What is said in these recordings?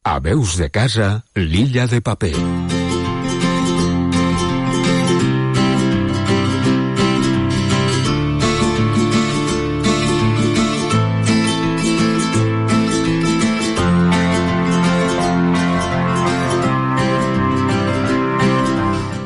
A Veus de Casa, l'Illa de Paper.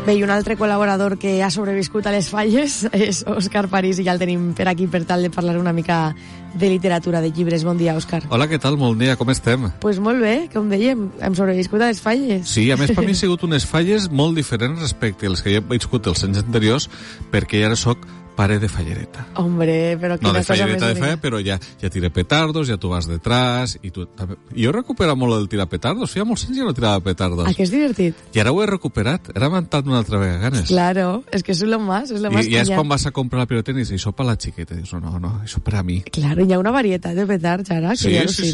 Bé, i un altre col·laborador que ha sobreviscut a les falles és Òscar París, i ja el tenim per aquí per tal de parlar una mica de literatura, de llibres. Bon dia, Òscar. Hola, què tal? Bon dia, com estem? Pues molt bé, com dèiem, hem sobreviscut a les falles. Sí, a més per mi han sigut unes falles molt diferents respecte als que ja he viscut els anys anteriors, perquè ja ara soc pare de fallereta. Hombre, però quina cosa més de falla, però ja tira petardos, ja tu vas detrás, i tu també... Jo he recuperat molt el tirar petardos, feia molts anys que no tirava petardos. Ah, que és divertit. I ara ho he recuperat, era mentat una altra vegada ganes. Claro, és que és lo más, és lo más. I ja és quan vas a comprar la pirotècnia i dius, això per la xiqueta, i dius, no, això per a mi. Claro, hi ha una varietat de petards ara, que ja sí.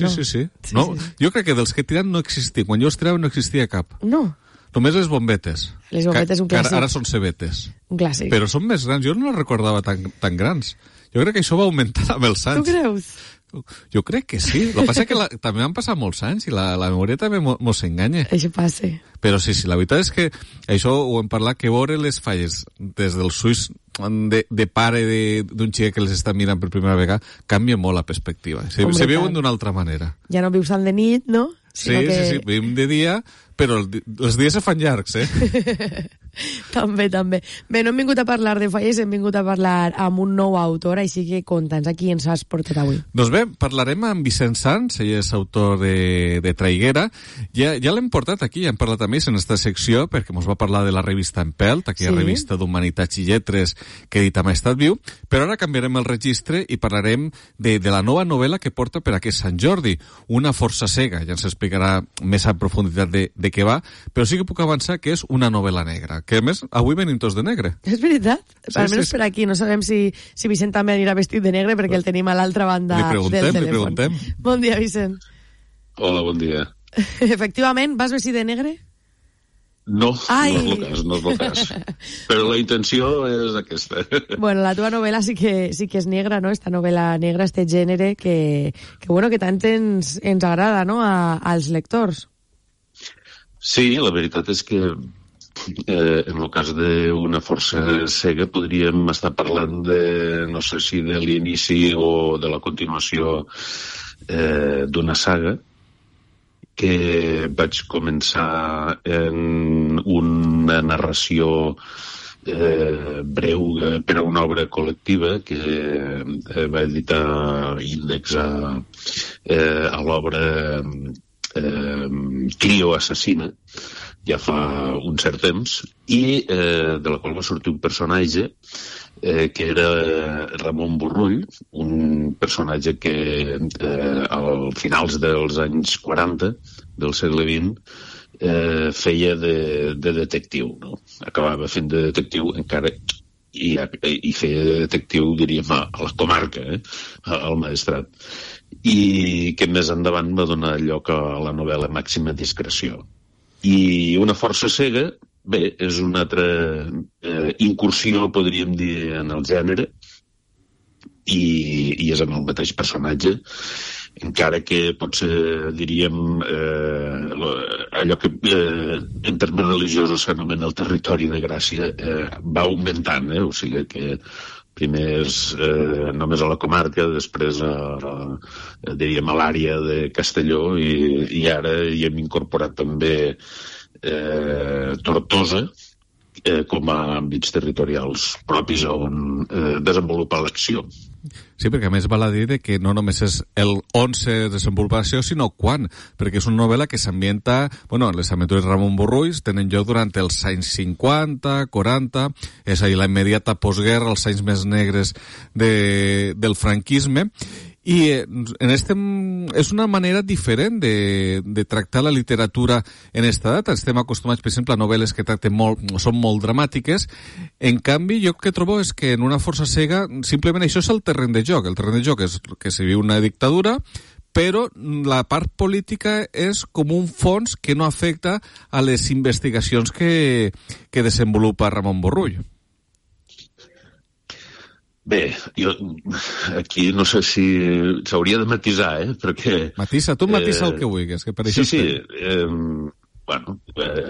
No, jo crec que dels que tiren no existia, quan jo els tirava no existia cap. No. Només les bombetes. Les bombetes, un clàssic. Ara són cebetes. Un clàssic. Però són més grans. Jo no les recordava tan grans. Jo crec que això va augmentar amb els anys. Tu creus? Jo crec que sí. El que passa és que també han passat molts anys i la memòria també mos enganya. Això passa. Però sí, la veritat és que això ho hem parlat, que veure les falles des dels ulls de pare d'un xic que les està mirant per primera vegada canvia molt la perspectiva. Se veuen d'una altra manera. Ja no vius tant de nit, no? Sí, vivim de dia, però els dies se fan llargs, També. Bé, no hem vingut a parlar de falles, hem vingut a parlar amb un nou autor, així que conta'ns a qui ens has portat avui. Doncs bé, parlarem amb Vicent Sans, ell és autor de Traiguera. Ja l'hem portat aquí, ja hem parlat amb ells en aquesta secció, perquè ens va parlar de la revista Empelt, aquella revista d'Humanitats i Lletres que edita Maestat Viu, però ara canviarem el registre i parlarem de la nova novel·la que porta per aquest Sant Jordi, Una força cega. Ja ens explicarà més a profunditat de què va, però sí que puc avançar que és una novel·la negra, que a més avui venim tots de negre. És veritat, almenys per aquí. No sabem si Vicent també anirà vestit de negre, perquè el tenim a l'altra banda del telèfon. Li preguntem. Bon dia, Vicent. Hola, bon dia. Efectivament, vas vestit de negre? No, no és el cas. Però la intenció és aquesta. Bueno, la teva novel·la sí que és negra, no? Esta novel·la negra, este gènere que tant ens agrada, no?, als lectors. Sí, la veritat és que en el cas d'Una força cega podríem estar parlant no sé si de l'inici o de la continuació d'una saga que vaig començar en una narració breu per a una obra col·lectiva que va editar Índex a l'obra Crio assassina, ja fa un cert temps, i de la qual va sortir un personatge que era Ramon Borrull, un personatge que al finals dels anys 40 del segle XX feia de detectiu, no? Acabava fent de detectiu encara i feia de detectiu, diríem, a la comarca, al Maestrat, i que més endavant va donar lloc a la novel·la Màxima discreció. I Una força cega, bé, és una altra incursió, podríem dir, en el gènere, i és amb el mateix personatge, encara que potser, diríem, allò que en termes religiosos s'anomena el territori de gràcia va augmentant, o sigui que primer és només a la comarca, després diríem a l'àrea de Castelló, i ara hi hem incorporat també Tortosa com a àmbits territorials propis on desenvolupar l'acció. Sí, perquè a més val a dir que no només és el on se desenvolupa l'acció, sinó quan, perquè és una novel·la que s'ambienta, les aventures de Ramon Borrull tenen lloc durant els anys 50, 40, és a dir, la immediata postguerra, els anys més negres del franquisme, i és una manera diferent de tractar la literatura en esta data. Estem acostumats, per exemple, a novel·les que són molt dramàtiques. En canvi, jo que trobo és que en Una força cega simplement això és el terreny de joc. El terreny de joc és que se viu una dictadura, però la part política és com un fons que no afecta a les investigacions que desenvolupa Ramon Borrull. Bé, jo aquí no sé si s'hauria de matisar, perquè... Matisa, tu matisa el que vulguis, que per això... Sí, bueno,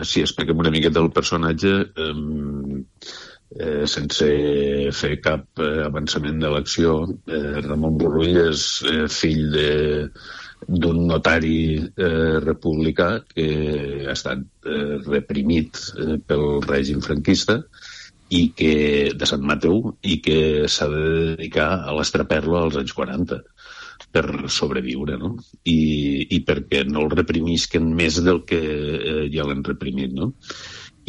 sí, expliquem una miqueta el personatge sense fer cap avançament de l'acció. Ramon Borrull és fill d'un notari republicà que ha estat reprimit pel règim franquista i que de Sant Mateu i que s'ha de dedicar a l'estraperlo als anys 40 per sobreviure, no? I perquè no el reprimisquen més del que ja l'han reprimit, no?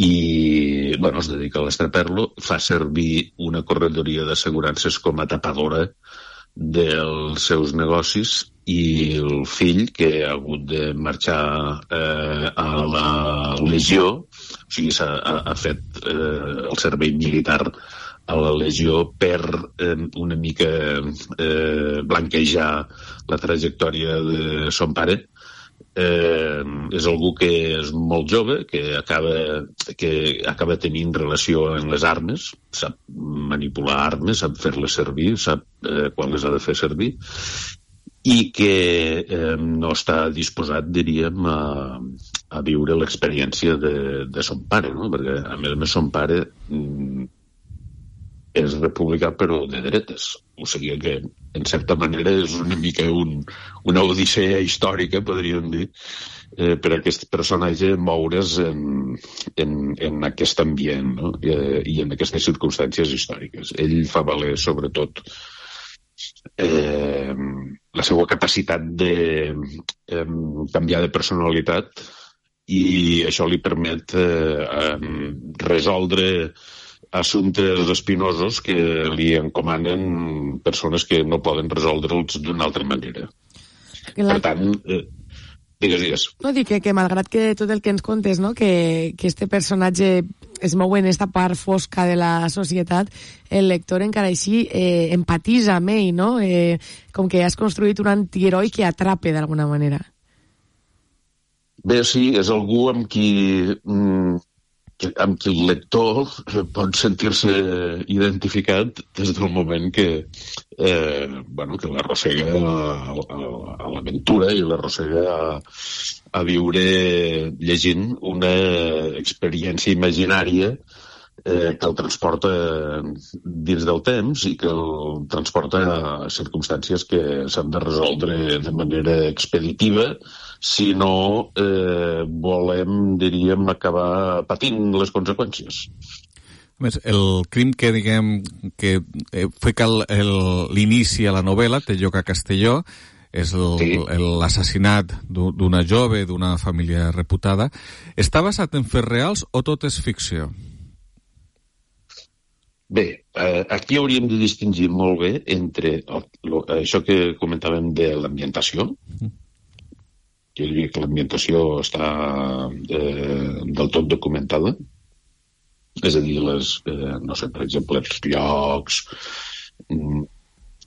I, bueno, es dedica a l'estraperlo, fa servir una corredoria d'assegurances com a tapadora dels seus negocis i el fill, que ha hagut de marxar a la legió, o sigui, ha fet el servei militar a la legió per una mica blanquejar la trajectòria de son pare. És algú que és molt jove, que acaba tenint relació amb les armes, sap manipular armes, sap fer-les servir, sap quan les ha de fer servir, i que no està disposat, diríem, a viure l'experiència de son pare, no? Perquè, a més, son pare és republicà però de dretes, o sigui que en certa manera és una mica una odissea històrica, podríem dir, per aquest personatge moure's en aquest ambient, no? I en aquestes circumstàncies històriques. Ell fa valer sobretot la seva capacitat de canviar de personalitat, i això li permet resoldre assumptes espinosos que li encomanen persones que no poden resoldre'ls d'una altra manera. Per tant, digues. No, dic que malgrat que tot el que ens contes, no, que este personatge es mou en esta part fosca de la societat, el lector encara així empatisa amb ell, no? Com que has construït un antiheroi que atrape d'alguna manera. Bé, sí, és algú amb qui el lector pot sentir-se identificat des del moment que l'arrossega a l'aventura i l'arrossega a viure llegint una experiència imaginària que el transporta dins del temps i que el transporta a circumstàncies que s'han de resoldre de manera expeditiva si no volem, diríem, acabar patint les conseqüències. A més, el crim que, diguem, que fica l'inici a la novel·la té lloc a Castelló, és l'assassinat d'una jove, d'una família reputada. Està basat en fets reals o tot és ficció? Bé, aquí hauríem de distingir molt bé entre això que comentàvem de l'ambientació, jo diria que l'ambientació està del tot documentada, és a dir, no sé, per exemple, els llocs,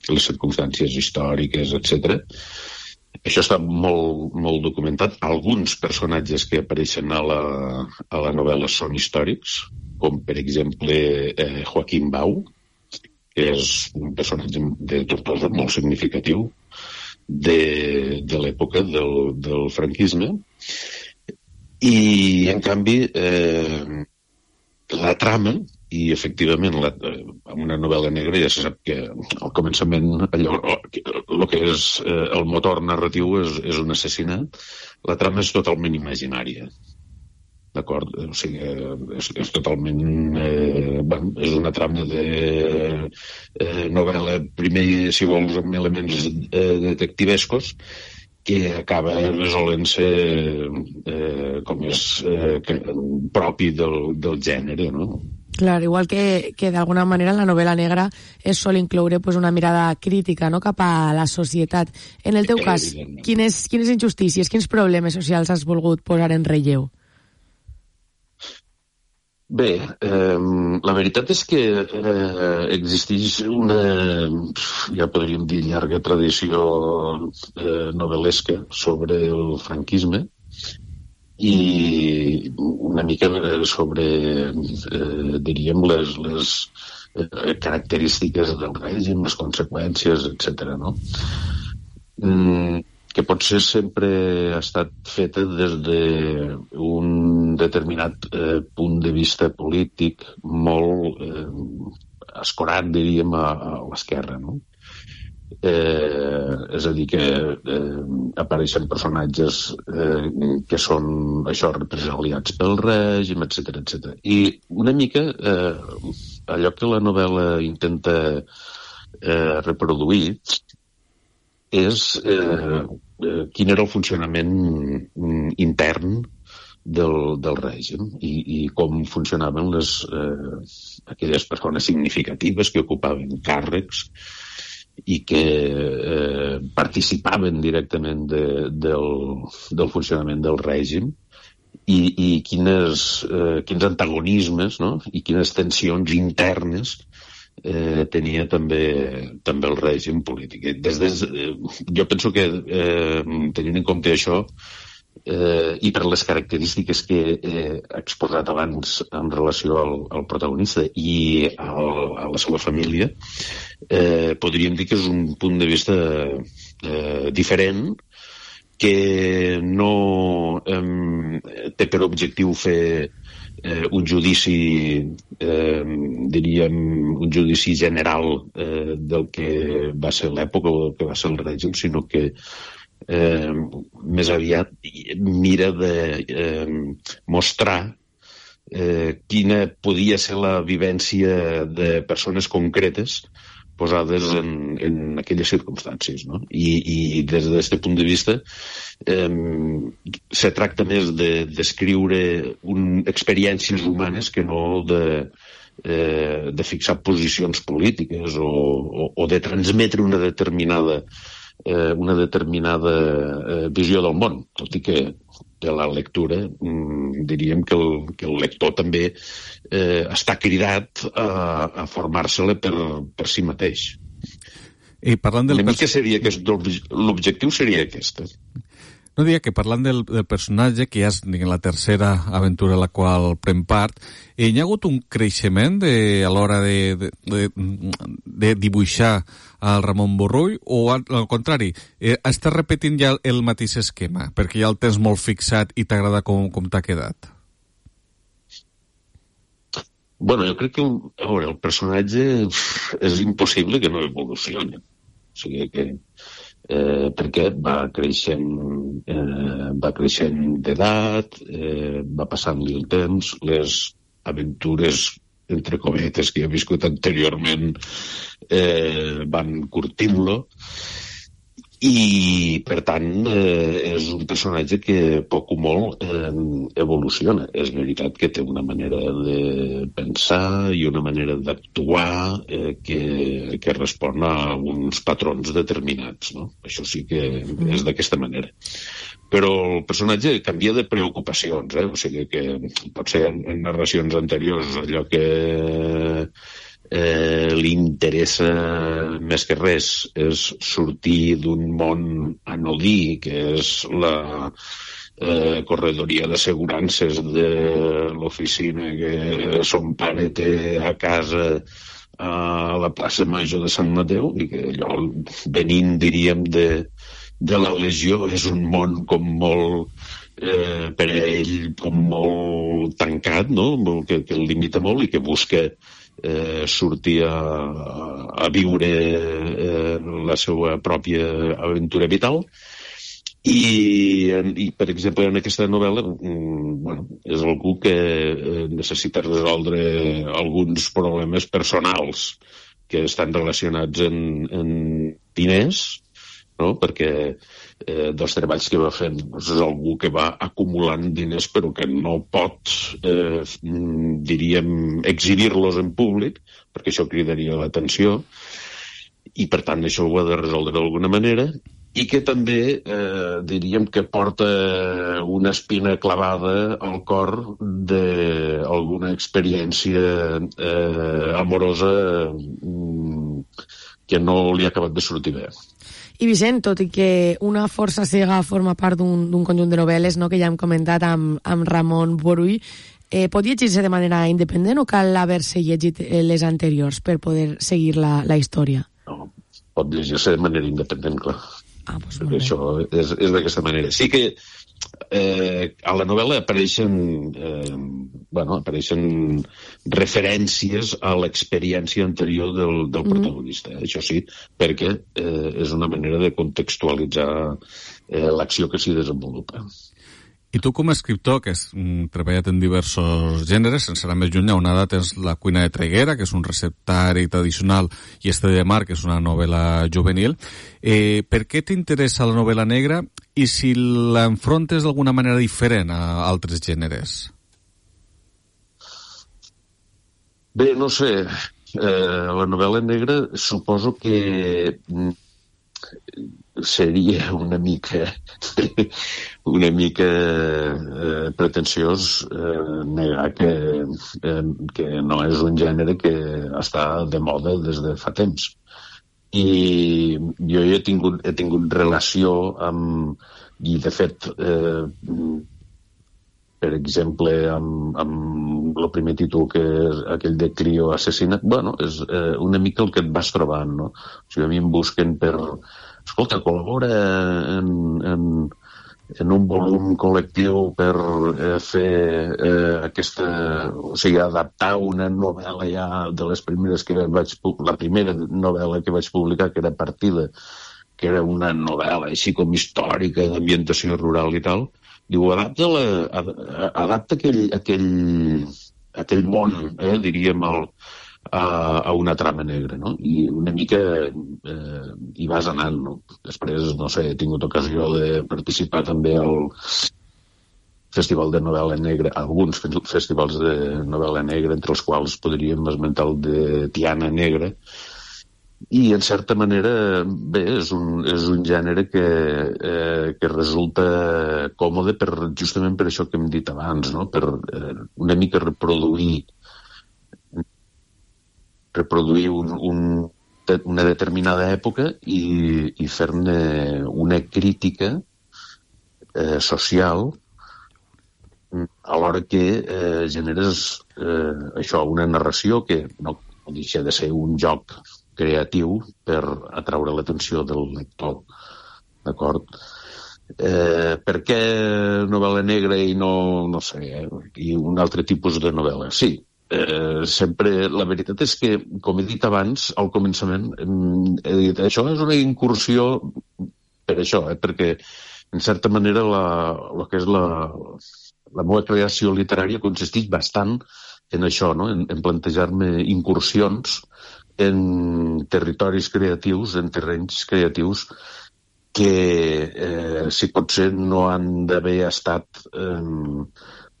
les circumstàncies històriques, etc. Això està molt, molt documentat. Alguns personatges que apareixen a la novel·la són històrics, com per exemple Joaquim Bau, que és un personatge de Tortosa molt significatiu de l'època del franquisme, i en canvi la trama, i efectivament en una novel·la negra ja se sap que al començament el que és el motor narratiu és un assassinat, la trama és totalment imaginària, d'acord? O sigui, és totalment és una trama de novel·la, primer, si vols, amb elements detectivescos, que acaba resolent-se com és propi del gènere, no? Clar, igual que d'alguna manera en la novel·la negra es sol incloure pues, una mirada crítica, no?, cap a la societat. En el teu cas, quines injustícies, quins problemes socials has volgut posar en relleu? Bé, la veritat és que existeix una, ja podríem dir, llarga tradició novel·lesca sobre el franquisme i una mica sobre, diríem, les característiques del règim, les conseqüències, etc. No? Que potser sempre ha estat feta des d'un determinat punt de vista polític molt escorat, diríem, a l'esquerra, no? És a dir, que apareixen personatges que són això, represaliats pel règim, etc etc. I una mica allò que la novel·la intenta reproduir és quin era el funcionament intern del règim i com funcionaven aquelles persones significatives que ocupaven càrrecs i que participaven directament del funcionament del règim i quins antagonismes, no? I quines tensions internes tenia també el règim polític. Jo penso que tenint en compte això i per les característiques que he exposat abans en relació al protagonista i a la seva família, podríem dir que és un punt de vista diferent, que no té per objectiu fer un judici, diríem, un judici general del que va ser l'època o del que va ser el règim, sinó que més aviat mira de mostrar quina podia ser la vivència de persones concretes posades en aquelles circumstàncies, no? I des d'aquest punt de vista se tracta més de descriure experiències humanes que no de fixar posicions polítiques o de transmetre una determinada visió del món, tot i que la lectura diríem que el lector també està cridat a formar-se-la per si mateix. I parlant del l'objectiu seria aquest. No, diria que parlant del personatge, que ja és la tercera aventura a la qual pren part, hi ha hagut un creixement a l'hora de dibuixar al Ramon Borrull, o al contrari, estàs repetint ja el mateix esquema, perquè ja el tens molt fixat i t'agrada com t'ha quedat? Bueno, jo crec que el personatge és impossible que no evolucioni. O sigui que perquè va creixent d'edat, va passant-li el temps, les aventures entre cometes que he viscut anteriorment van curtint-lo i per tant és un personatge que poc o molt evoluciona. És veritat que té una manera de pensar i una manera d'actuar que respon a uns patrons determinats, no? Això sí que és d'aquesta manera. Però el personatge canvia de preocupacions, o sigui que potser en narracions anteriors allò que li interessa més que res és sortir d'un món anodí, que és la corredoria d'assegurances de l'oficina que son pare té a casa a la plaça Major de Sant Mateu, i que allò, venint, diríem, de la Legió, és un món com molt per a ell com molt tancat, no? Que el limita molt i que busca sortir a viure la seva pròpia aventura vital. I per exemple, en aquesta novel·la és algú que necessita resoldre alguns problemes personals que estan relacionats en diners, no? Perquè dels treballs que va fent és algú que va acumulant diners però que no pot diríem exhibir-los en públic perquè això cridaria l'atenció i per tant això ho ha de resoldre d'alguna manera, i que també diríem que porta una espina clavada al cor d'alguna experiència amorosa que no li ha acabat de sortir bé. I Vicent, tot i que Una força cega forma part d'un conjunt de novel·les, no?, que ja hem comentat amb Ramon Borrull, pot llegir-se de manera independent o cal haver-se llegit les anteriors per poder seguir la història? No, pot llegir-se de manera independent, clar. Doncs perquè això és d'aquesta manera. Sí que a la novel·la apareixen referències a l'experiència anterior del protagonista. Això sí, perquè és una manera de contextualitzar l'acció que s'hi desenvolupa. I tu, com a escriptor, que has treballat en diversos gèneres, sense anar més lluny, a una edat tens La cuina de Traiguera, que és un receptari tradicional, i Este de mar, que és una novel·la juvenil. Per què t'interessa la novel·la negra i si l'enfrontes d'alguna manera diferent a altres gèneres? Bé, no sé. La novel·la negra suposo que seria una mica pretensiós negar que no és un gènere que està de moda des de fa temps. I jo he tingut relació amb... I, de fet, per exemple, amb el primer títol, que és aquell de Clio Assassinat, és una mica el que et vas trobant, no? O sigui, a mi em busquen per... Escolta, col·labora en un volum col·lectiu per fer aquesta... O sigui, adaptar una novel·la ja de les primeres que vaig... La primera novel·la que vaig publicar, que era Partida, que era una novel·la així com històrica, d'ambientació rural i tal. Diu, adapta aquell món, diríem, a una trama negra, no? I una mica hi vas anant, no? Després, no sé, he tingut ocasió de participar també al Festival de Novel·la Negra, alguns festivals de novel·la negra, entre els quals podríem esmentar el de Tiana Negra, i en certa manera, bé, és un gènere que resulta còmode justament per això que hem dit abans, no? Per una mica reproduir una determinada època i fer-ne una crítica social alhora que generes això, una narració que no deixa de ser un joc creatiu per atraure l'atenció del lector, d'acord? Per què novel·la negra i no sé, i un altre tipus de novel·la? Sí, sempre, la veritat és que, com he dit abans, al començament, he dit, això és una incursió per això, perquè, en certa manera, el que és la meva creació literària consisteix bastant en això, no? En plantejar-me incursions en territoris creatius, en terrenys creatius que, si pot ser, no han d'haver estat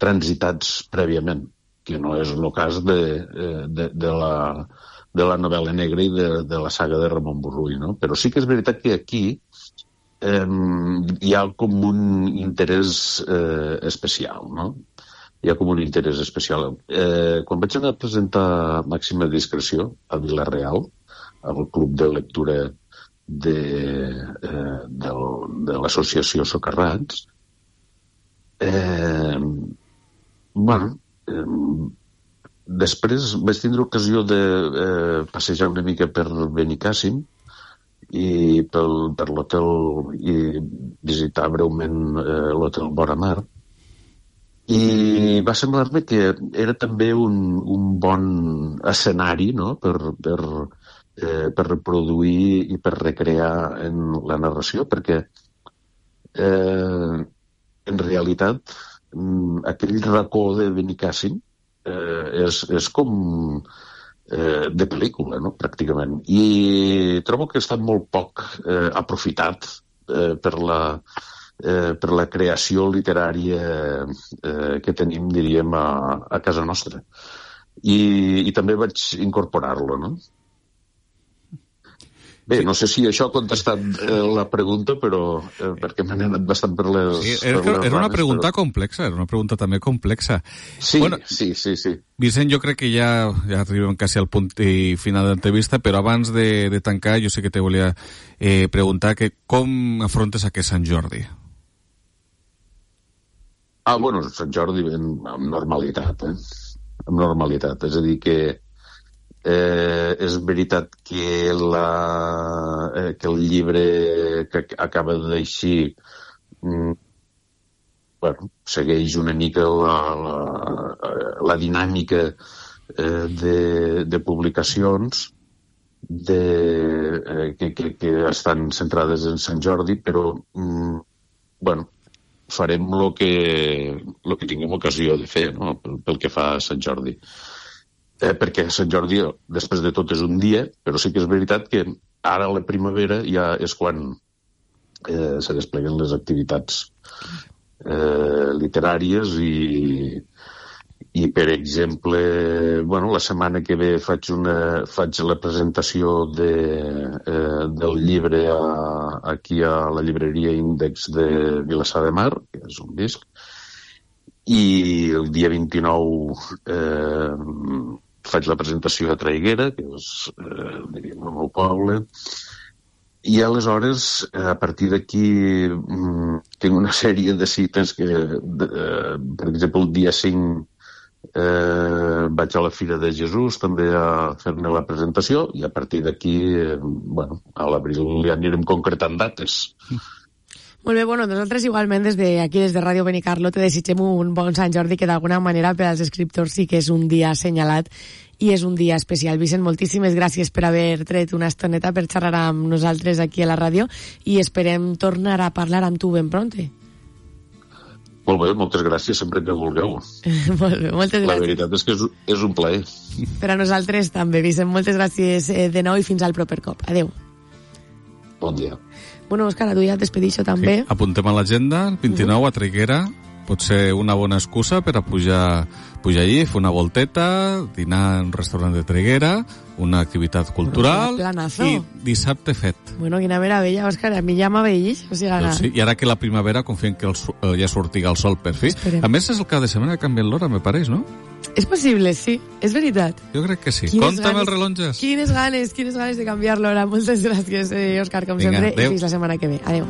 transitats prèviament, que no és el cas de la novel·la negra i de la saga de Ramon Borrull, no? Però sí que és veritat que aquí hi ha com un interès especial, no? Hi ha com un interès especial. Quan vaig anar a presentar Màxima Discreció a Vila-real, al club de lectura de l'associació Socarrats, després vaig tindre ocasió de passejar una mica per Benicàssim i per l'hotel i visitar breument l'hotel Vora Mar, i va semblar-me que era també un bon escenari, no?, per reproduir i per recrear en la narració, perquè en realitat aquell racó de Benicàssim és com de pel·lícula, no?, pràcticament. I trobo que està molt poc aprofitat per la creació literària que tenim, diríem, a casa nostra. I també vaig incorporar-lo, no? Bé, no sé si això ha contestat la pregunta, però perquè m'han anat bastant per les... Sí, era una pregunta complexa, era una pregunta també complexa. Sí, bueno, sí. Vicent, jo crec que ja arribem quasi al punt final de l'entrevista, però abans de tancar, jo sé que te volia preguntar que com afrontes aquest Sant Jordi? Bueno, Sant Jordi amb normalitat, amb normalitat. És a dir, que és veritat que el llibre que acaba d'eixir segueix una mica la dinàmica de publicacions que estan centrades en Sant Jordi, però farem el que tinguem ocasió de fer, no? Pel que fa a Sant Jordi. Perquè Sant Jordi, després de tot, és un dia, però sí que és veritat que ara a la primavera ja és quan se despleguen les activitats literàries i per exemple, la setmana que ve faig la presentació del llibre aquí a la llibreria Índex de Vilassar de Mar, que és un disc, i el dia 29 faig la presentació a Traiguera, que és el meu poble, i aleshores, a partir d'aquí, tinc una sèrie de cites que, per exemple, el dia 5 vaig a la Fira de Jesús també a fer-ne la presentació, i a partir d'aquí, a l'abril ja anirem concretant dates. Molt bé, nosaltres igualment des de Ràdio Benicarló te desitgem un bon Sant Jordi, que d'alguna manera per als escriptors sí que és un dia assenyalat i és un dia especial. Vicent, moltíssimes gràcies per haver tret una estoneta per xerrar amb nosaltres aquí a la ràdio i esperem tornar a parlar amb tu ben pronte. Molt bé, moltes gràcies, sempre que vulgueu. Molt bé, moltes gràcies. La veritat és que és un plaer. Per a nosaltres també, Vicent. Moltes gràcies de nou i fins al proper cop. Adéu. Bon dia. Òscar, a tu ja et despedixo també. Sí, apuntem a l'agenda, el 29 a Traiguera, pot ser una bona excusa per a pujar allí, fer una volteta, dinar en un restaurant de Traiguera, una activitat cultural i dissabte fet. Quina meravella, Òscar, a mi ja m'aveïx. Doncs sí, i ara que la primavera confiem que ja sortiga el sol per fi. Esperem. A més, és el cap de setmana que ha canviat l'hora, me pareix, no? És possible, sí, és veritat. Jo crec que sí. Compta amb els rellotges. Quines ganes de canviar l'hora. Moltes gràcies, Òscar, com sempre, i fins la setmana que ve. Adéu.